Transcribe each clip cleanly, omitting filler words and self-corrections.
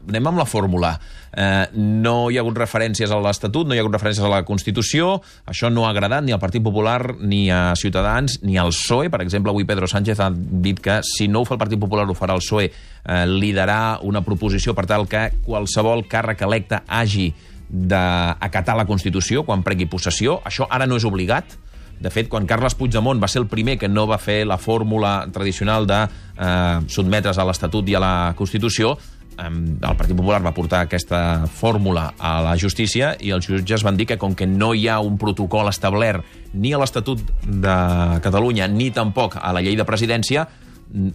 anem amb la fórmula. No hi ha hagut referències a l'Estatut, no hi ha hagut referències a la Constitució, això no ha agradat ni al Partit Popular, ni a Ciutadans, ni al PSOE. Per exemple, avui Pedro Sánchez ha dit que si no ho fa el Partit Popular ho farà el PSOE, liderar una proposició per tal que qualsevol càrrec electe hagi d'acatar la Constitució quan pregui possessió. Això ara no és obligat. De fet, quan Carles Puigdemont va ser el primer que no va fer la fórmula tradicional de sotmetre's a l'Estatut i a la Constitució, el Partit Popular va portar aquesta fórmula a la justícia i els jutges van dir que com que no hi ha un protocol establert ni a l'Estatut de Catalunya ni tampoc a la llei de presidència,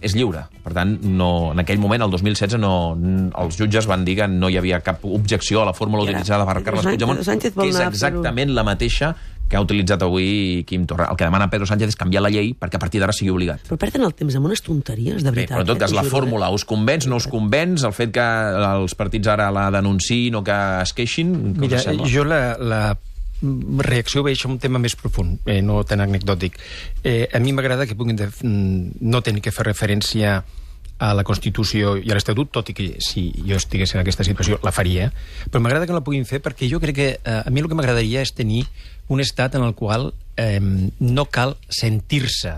és lliure. Per tant, en aquell moment, el 2016, els jutges van dir que no hi havia cap objecció a la fórmula utilitzada per Carles Puigdemont, que és exactament la mateixa que ha utilitzat avui Quim Torra. El que demana Pedro Sánchez és canviar la llei perquè a partir d'ara sigui obligat. Però perden el temps amb unes tonteries, de veritat. Però en tot cas, la fórmula us convenç, no us convenç? El fet que els partits ara la denunciïn o que es queixin? Mira, jo la reacció veig un tema més profund, no tan anecdòtic. A mi m'agrada que puguin no tenir que fer referència a la Constitució i a l'Estatut, tot i que si jo estigués en aquesta situació la faria, però m'agrada que la puguin fer perquè jo crec que a mi el que m'agradaria és tenir un estat en el qual no cal sentir-se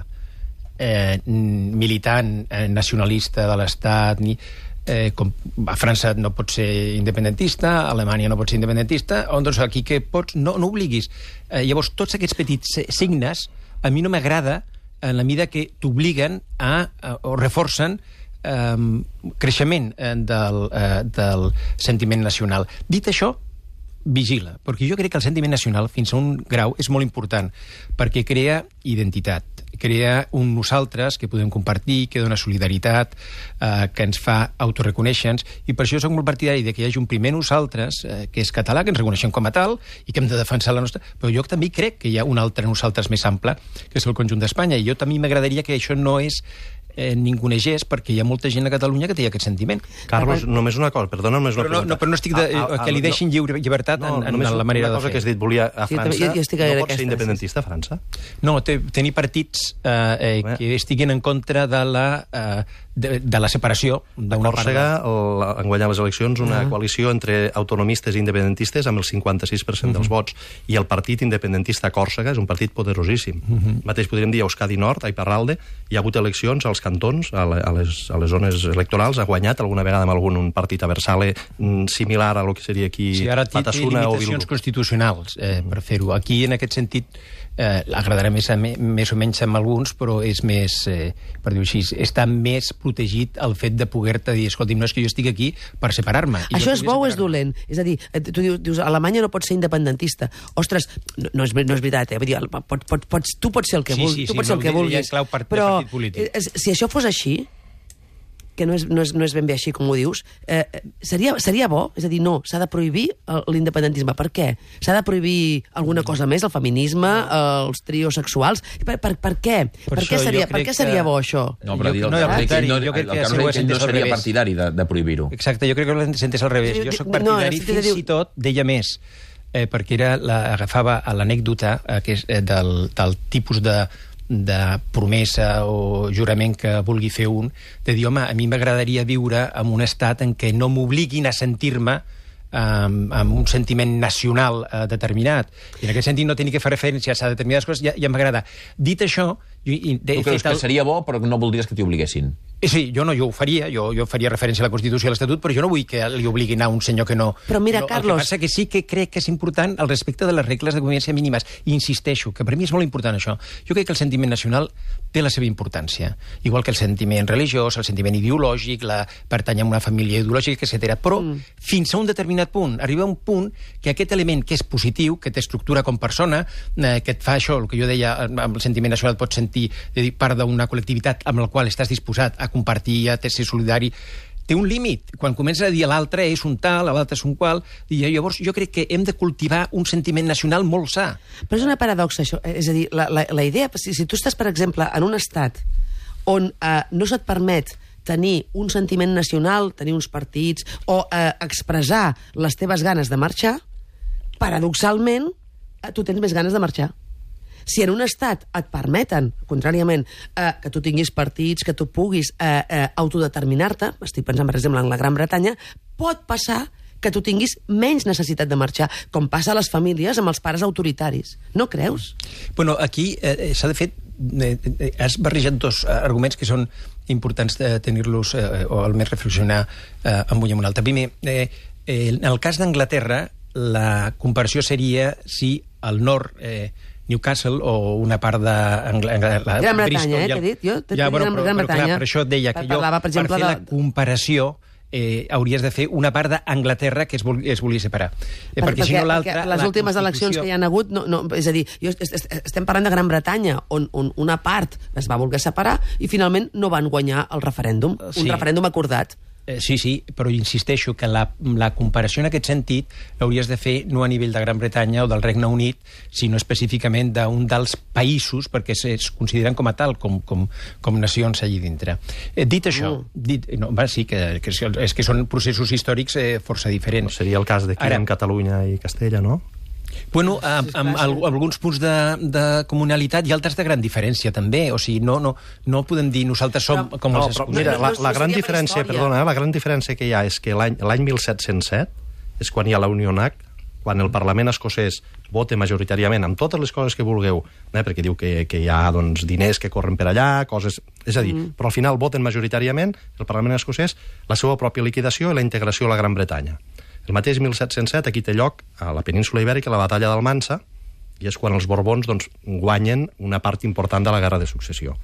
militant, nacionalista de l'estat, ni com a França no pot ser independentista, a Alemanya no pot ser independentista, doncs aquí que pots, no obliguis. Llavors, tots aquests petits signes a mi no m'agrada en la mida que t'obliguen o reforcen creixement del sentiment nacional. Dit això, vigila, perquè jo crec que el sentiment nacional fins a un grau és molt important, perquè crea identitat, crea un nosaltres que podem compartir, que dona solidaritat, que ens fa autoreconèixer-nos, i per això soc molt partidari de que hi hagi un primer nosaltres, que és català, que ens reconeixem com a tal, i que hem de defensar la nostra... Però jo també crec que hi ha un altre nosaltres més ample, que és el conjunt d'Espanya, i jo també m'agradaria que això no és ningunegés, perquè hi ha molta gent a Catalunya que té aquest sentiment. Carlos, només una cosa, perdona, només una cosa. Però no estic que li deixin llibertat en la manera de fer. Una cosa que has dit, volia a França, no pot ser independentista a França? No, tenir partits que estiguen en contra de la separació d'una part. Còrsega han guanyat les eleccions una coalició entre autonomistes i independentistes amb el 56% dels vots, i el partit independentista a Còrsega és un partit poderosíssim. Mateix podríem dir a Euskadi Nord, a Iparralde, hi ha hagut eleccions als cantons, a les zones electorals, ha guanyat alguna vegada amb algun partit a Versale similar a lo que seria aquí Batasuna o Bildu. Té limitacions constitucionals per fer-ho. Aquí, en aquest sentit, agradarà més o menys amb alguns, però és més, per dir-ho així, està més protegit el fet de poder-te dir, escolti'm, no és que jo estic aquí per separar-me. Això és bo o és dolent? És a dir, tu dius, Alemanya no pot ser independentista. Ostres, no és veritat, vull dir, tu pots ser el que vulguis, però si això fos així, que no és ben bé així com ho dius, seria bo? És a dir, no, s'ha de prohibir l'independentisme. Per què? S'ha de prohibir alguna cosa més, el feminisme, els trios sexuals? Per què? Per què seria bo això? No, però el Carlos no seria partidari de prohibir-ho. Exacte, jo crec que l'entès al revés. Jo soc partidari fins i tot, deia més, perquè agafava l'anècdota del tipus de promesa o jurament que vulgui fer un, de dir, home, a mi m'agradaria viure en un estat en què no m'obliguin a sentir-me amb un sentiment nacional determinat. I en aquest sentit no tenir que fer referència a determinades coses ja m'agrada. Dit això... Tu creus que seria bo, però no voldries que t'hi obliguessin? Sí, jo ho faria. Jo faria referència a la Constitució i a l'Estatut, però jo no vull que li obliguin a un senyor que no... Però mira, Carlos... El que passa que sí que crec que és important el respecte de les regles de convivència mínimes. I insisteixo, que per mi és molt important això. Jo crec que el sentiment nacional té la seva importància. Igual que el sentiment religiós, el sentiment ideològic, pertany a una família ideològica, etc. Però fins a un determinat punt, arriba un punt que aquest element que és positiu, que t'estructura com persona, que et fa això, el que jo deia, amb el sentiment nacional pots sentir part d'una col·lectivitat amb la qual estàs disposat a compartir, a ser solidari, té un límit. Quan comences a dir l'altre és un tal, l'altre és un qual, i llavors jo crec que hem de cultivar un sentiment nacional molt sa. Però és una paradoxa, això. És a dir, la idea, si tu estàs, per exemple, en un estat on no se't permet tenir un sentiment nacional, tenir uns partits, o expressar les teves ganes de marxar, paradoxalment, tu tens més ganes de marxar. Si en un estat et permeten, contràriament, que tu tinguis partits, que tu puguis autodeterminar-te, estic pensant, per exemple, en la Gran Bretanya, pot passar que tu tinguis menys necessitat de marxar, com passa a les famílies amb els pares autoritaris. No creus? Bueno, aquí s'ha de fer... has barrejat dos arguments que són importants de tenir-los o almenys reflexionar amb un i amb un altre. Primer, en el cas d'Anglaterra, la comparació seria si al nord Newcastle o una part de Gran Bretanya, t'he dit? Jo t'he dit Gran Bretanya. Per això et deia que jo, per fer la comparació, hauries de fer una part d'Anglaterra que es volia separar. Perquè si no l'altra... Les últimes eleccions que hi ha hagut... És a dir, estem parlant de Gran Bretanya, on una part es va voler separar i finalment no van guanyar el referèndum. Un referèndum acordat. Sí, però insisteixo que la comparació en aquest sentit l'hauries de fer no a nivell de Gran Bretanya o del Regne Unit, sinó específicament d'un dels països, perquè es consideren com a tal, com nacions allí dintre. Dit això, sí, és que són processos històrics força diferents. Seria el cas d'aquí en Catalunya i Castella, no? Bueno, amb alguns punts de comunalitat i altres de gran diferència, també. O sigui, no podem dir nosaltres som com els escocesos. Mira, la gran diferència, perdona, la gran diferència que hi ha és que l'any 1707 és quan hi ha la Unionac, quan el Parlament escocès vota majoritàriament amb totes les coses que vulgueu, perquè diu que hi ha diners que corren per allà, coses... És a dir, però al final voten majoritàriament el Parlament escocès la seva pròpia liquidació i la integració a la Gran Bretanya. El mateix 1707 aquí té lloc a la península Ibèrica la batalla d'Almansa, i és quan els Borbons guanyen una part important de la guerra de successió.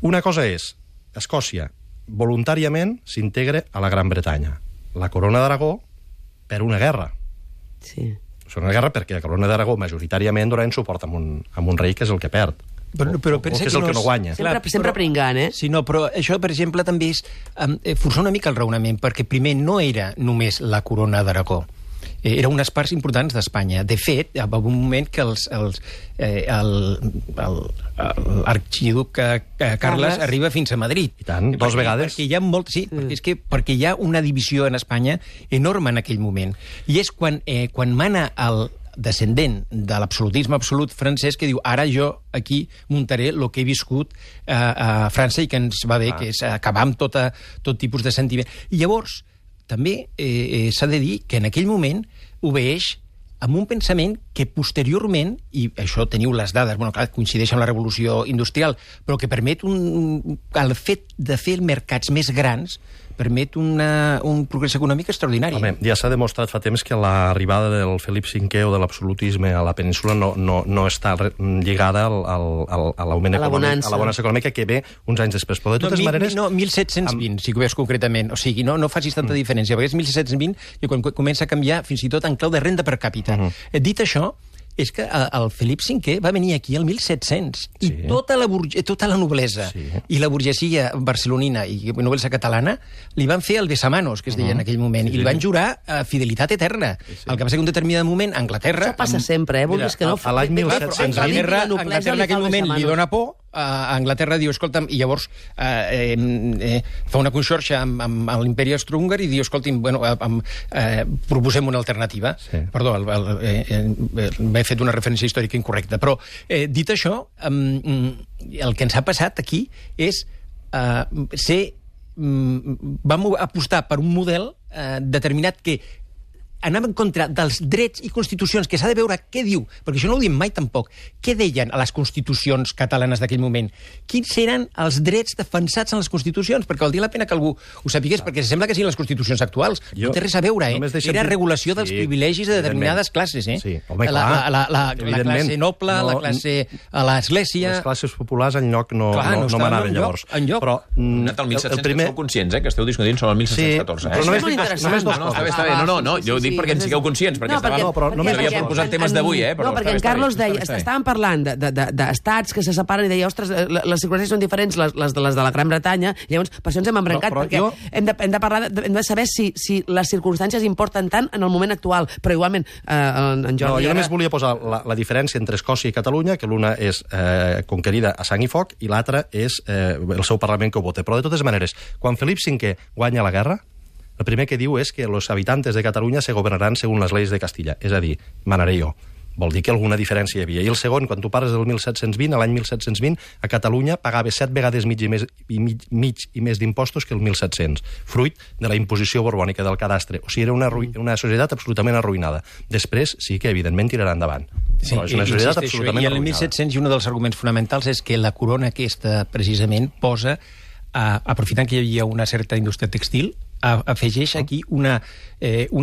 Una cosa és, Escòcia voluntàriament s'integra a la Gran Bretanya. La Corona d'Aragó per una guerra. Sí. És una guerra perquè la Corona d'Aragó majoritàriament donarà suport amb un rei que és el que perd. Però que és el que no guanya. Sempre pringant, Sí, no, però això, per exemple, també és forçar una mica el raonament, perquè primer no era només la Corona d'Aragó. Era unes parts importants d'Espanya. De fet, hi va un moment que l'arxiduc Carles arriba fins a Madrid. I tant, dos vegades. Perquè hi ha perquè hi ha una divisió en Espanya enorme en aquell moment. I és quan mana el descendent de l'absolutisme absolut francès que diu, ara jo aquí muntaré el que he viscut a França i que ens va bé, que és acabar amb tot tipus de sentiment. I llavors, també s'ha de dir que en aquell moment obeeix amb un pensament que posteriorment, i això teniu les dades, clar, coincideix amb la revolució industrial, però que permet el fet de fer mercats més grans permet un progrés econòmic extraordinari. Home, ja s'ha demostrat fa temps que l'arribada del Felip V o de l'absolutisme a la península no està lligada a l'augment econòmic, a la bonança econòmica que ve uns anys després. Però de totes maneres... No, 1720, si ho veus concretament. O sigui, no facis tanta diferència, perquè és 1720 i quan comença a canviar fins i tot en clau de renda per càpita. Dit això, és que el Felip V va venir aquí el 1700 i tota la noblesa i la burgesia barcelonina i noblesa catalana li van fer el besamanos, que es deia en aquell moment, i li van jurar fidelitat eterna. El que passa que un determinat moment, Anglaterra... Això passa sempre, vulguis que no... A l'any 1700... Anglaterra en aquell moment li dona por, a Anglaterra diu, escolta'm, i llavors fa una conxorxa amb l'imperi austrohúngar i diu, escolta'm, proposem una alternativa. Perdó, m'he fet una referència històrica incorrecta, però dit això, el que ens ha passat aquí és vam apostar per un model determinat que anava en contra dels drets i constitucions, que s'ha de veure què diu, perquè això no ho diem mai tampoc. Què deien a les constitucions catalanes d'aquell moment? Quins eren els drets defensats en les constitucions? Perquè valdria la pena que algú ho sapigués, perquè sembla que siguin les constitucions actuals. No té res a veure, Era regulació dels privilegis de determinades classes, Sí, home, clar. La classe noble, la classe a l'església... Les classes populars enlloc no manaven llavors. Però el 1700 sou conscients, que esteu discutint sobre el 1714. Però només dos coses. No, jo ho dic perquè en sigueu conscients, perquè estàvem posant temes d'avui, No, perquè en Carlos deia, estàvem parlant d'estats que se separen i deia, ostres, les circumstàncies són diferents, les de la Gran Bretanya, llavors per això ens hem embrancat, perquè hem de saber si les circumstàncies importen tant en el moment actual, però igualment en Jordi... Jo només volia posar la diferència entre Escòcia i Catalunya, que l'una és conquerida a sang i foc i l'altra és el seu Parlament que ho vota. Però de totes maneres, quan Felip V guanya la guerra, el primer que diu és que los habitantes de Catalunya se gobernaran según las leyes de Castilla, és a dir, manaré jo. vol dir que alguna diferència hi havia. I el segon, quan tu parles del 1720, l'any 1720, a Catalunya pagava 7 vegades mig i més d'impostos que el 1700, fruit de la imposició borbònica del cadastre. O sigui, era una societat absolutament arruïnada. Després, sí que, evidentment, tirarà endavant. Sí, és una societat absolutament arruïnada. I el 1700, i un dels arguments fonamentals és que la corona aquesta, precisament, posa, aprofitant que hi havia una certa indústria textil, afegeix aquí una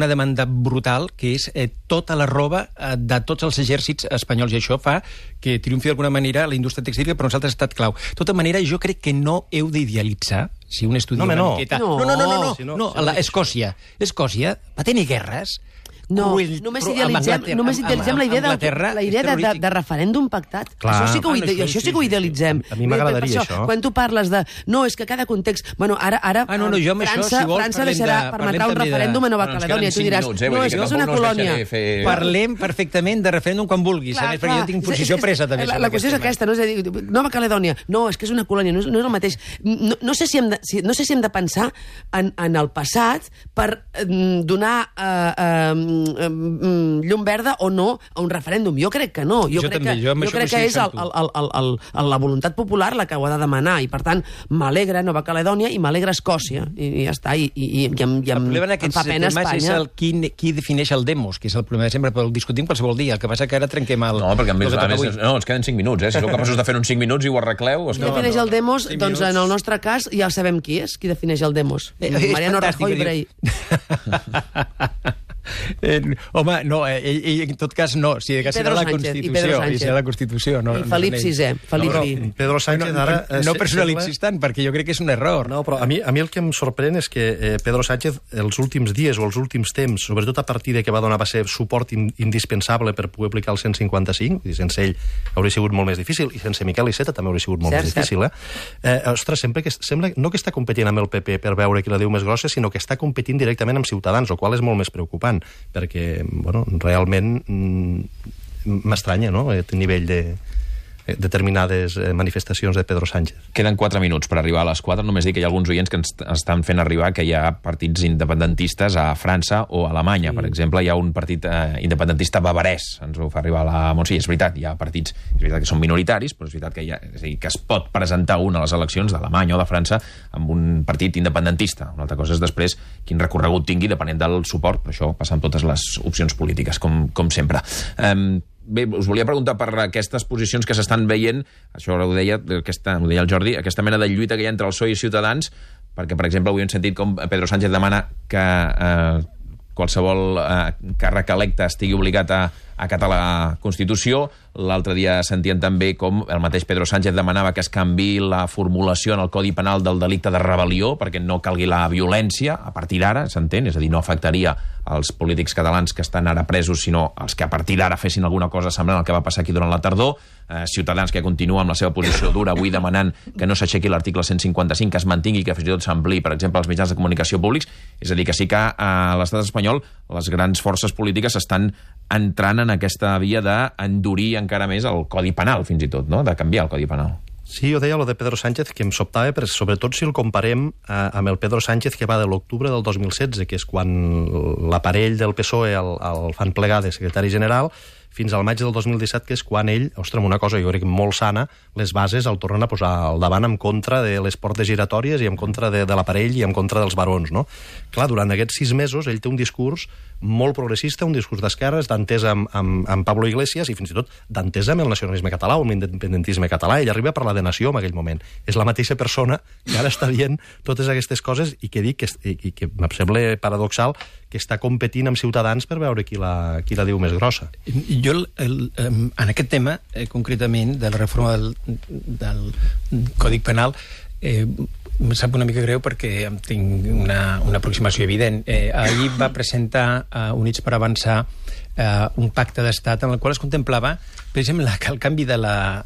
demanda brutal, que és tota la roba de tots els exèrcits espanyols, i això fa que triomfi d'alguna manera la indústria textil, que per nosaltres ha estat clau. De tota manera, jo crec que no heu d'idealitzar, si un estudia una miqueta... No, Escòcia va tenir guerres. No, només idealitzem la idea de referèndum pactat. Això sí que ho idealitzem. A mi m'agradaria això. Quan tu parles de... No, és que cada context... Bueno, ara França permetrà un referèndum a Nova Caledònia. Tu diràs, no, és que és una colònia. Parlem perfectament de referèndum quan vulguis, perquè jo tinc posició presa també. La qüestió és aquesta, no? És a dir, Nova Caledònia, no, és que és una colònia, no és el mateix. No sé si hem de pensar en el passat per donar llum verda o no a un referèndum. Jo crec que no. Jo crec que és la voluntat popular la que ho ha de demanar, i per tant m'alegra Nova Caledònia i m'alegra Escòcia, i ja està, i em fa pena Espanya. És qui defineix el demos, que és el problema de sempre, però el discutim qualsevol dia. El que passa que ara trenquem el... No, perquè a més ens queden 5 minuts, Si sou capaços de fer uns 5 minuts i ho arregleu... Qui defineix el demos? Doncs en el nostre cas ja sabem qui és, qui defineix el demos. Mariano Rajoy Brey. Home, no, en tot cas no, si serà la Constitució. I Felip VI. Pedro Sánchez ara... No personalitzis tant, perquè jo crec que és un error. No, però a mi el que em sorprèn és que Pedro Sánchez els últims dies o els últims temps, sobretot a partir de que va ser suport indispensable per poder aplicar el 155, i sense ell hauria sigut molt més difícil, i sense Miquel Iceta també hauria sigut molt més difícil. Ostres, sempre que sembla no que està competint amb el PP per veure qui la diu més grossa, sinó que està competint directament amb Ciutadans, el qual és molt més preocupant, perquè, realment m'estranya, no?, aquest nivell de determinades manifestacions de Pedro Sánchez. Queden 4 minuts per arribar a les 4. Només dic que hi ha alguns oients que ens estan fent arribar que hi ha partits independentistes a França o a Alemanya. Per exemple, hi ha un partit independentista bavarès, ens ho fa arribar la Montse. És veritat, hi ha partits, és veritat que són minoritaris, però és veritat que es pot presentar un a les eleccions d'Alemanya o de França amb un partit independentista. Una altra cosa és després quin recorregut tingui depenent del suport, però això passa amb totes les opcions polítiques, com sempre. Bé, us volia preguntar per aquestes posicions que s'estan veient, això ho deia el Jordi, aquesta mena de lluita que hi ha entre el PSOE i Ciutadans, perquè, per exemple, avui hem sentit com Pedro Sánchez demana que qualsevol càrrec electe estigui obligat a acatar la Constitució. L'altre dia sentien també com el mateix Pedro Sánchez demanava que es canviï la formulació en el Codi Penal del delicte de rebel·lió perquè no calgui la violència a partir d'ara, s'entén? És a dir, no afectaria als polítics catalans que estan ara presos, sinó els que a partir d'ara fessin alguna cosa semblant al que va passar aquí durant la tardor. Ciutadans que continua amb la seva posició dura avui demanant que no s'aixequi l'article 155, que es mantingui, que fins i tot s'ampliï, per exemple, als mitjans de comunicació públics. És a dir, que sí que a l'estat espanyol les grans forces polítiques estan entrant en aquesta via d'endurir encara més el Codi Penal, fins i tot, no?, de canviar el Codi Penal. Sí, jo deia lo de Pedro Sánchez, que em sobtava, però sobretot si el comparem amb el Pedro Sánchez que va de l'octubre del 2016, que és quan l'aparell del PSOE el fan plegar de secretari general, fins al maig del 2017, que és quan ell, ostres, una cosa jo crec molt sana, les bases el tornen a posar al davant en contra de les portes giratòries i en contra de l'aparell i en contra dels barons, no? Clar, durant aquests 6 mesos ell té un discurs molt progressista, un discurs d'esquerres, d'entesa amb Pablo Iglesias i fins i tot d'entesa amb el nacionalisme català o amb l'independentisme català. Ell arriba a parlar de nació en aquell moment. És la mateixa persona que ara està dient totes aquestes coses i que dic que em sembla paradoxal que està competint amb Ciutadans per veure qui la diu més grossa. Jo, en aquest tema, concretament, de la reforma del Codi Penal, em sap una mica greu perquè tinc una aproximació evident. Ahir va presentar Units per Avançar un pacte d'estat en el qual es contemplava precisament el canvi de la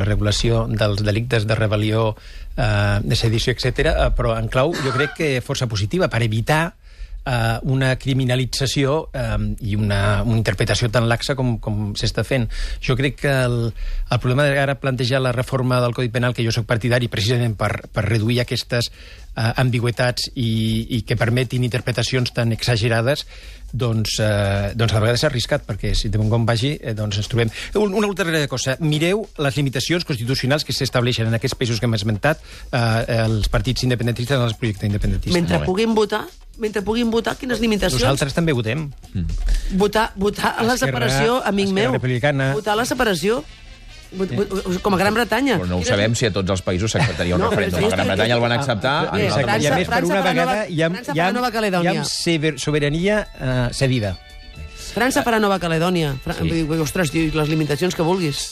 regulació dels delictes de rebel·lió, de sedició, etc., però en clau jo crec que força positiva per evitar una criminalització i una interpretació tan laxa com s'està fent. Jo crec que el problema d'ara plantejar la reforma del Codi Penal, que jo soc partidari precisament per reduir aquestes ambigüitats i que permetin interpretacions tan exagerades, doncs a vegades s'ha arriscat, perquè si de bon com vagi, doncs ens trobem. Una altra cosa, mireu les limitacions constitucionals que s'estableixen en aquests països que hem esmentat, els partits independentistes en els projectes independentistes. Mentre puguin votar, quines limitacions? Nosaltres també votem. Votar a la separació, amic meu. Votar a la separació. Com a Gran Bretanya. Però no ho sabem si a tots els països s'acceptaria un referèndum. A Gran Bretanya el van acceptar. I a més, per una vegada hi ha sobirania cedida. França farà Nova Caledònia. Ostres, les limitacions que vulguis.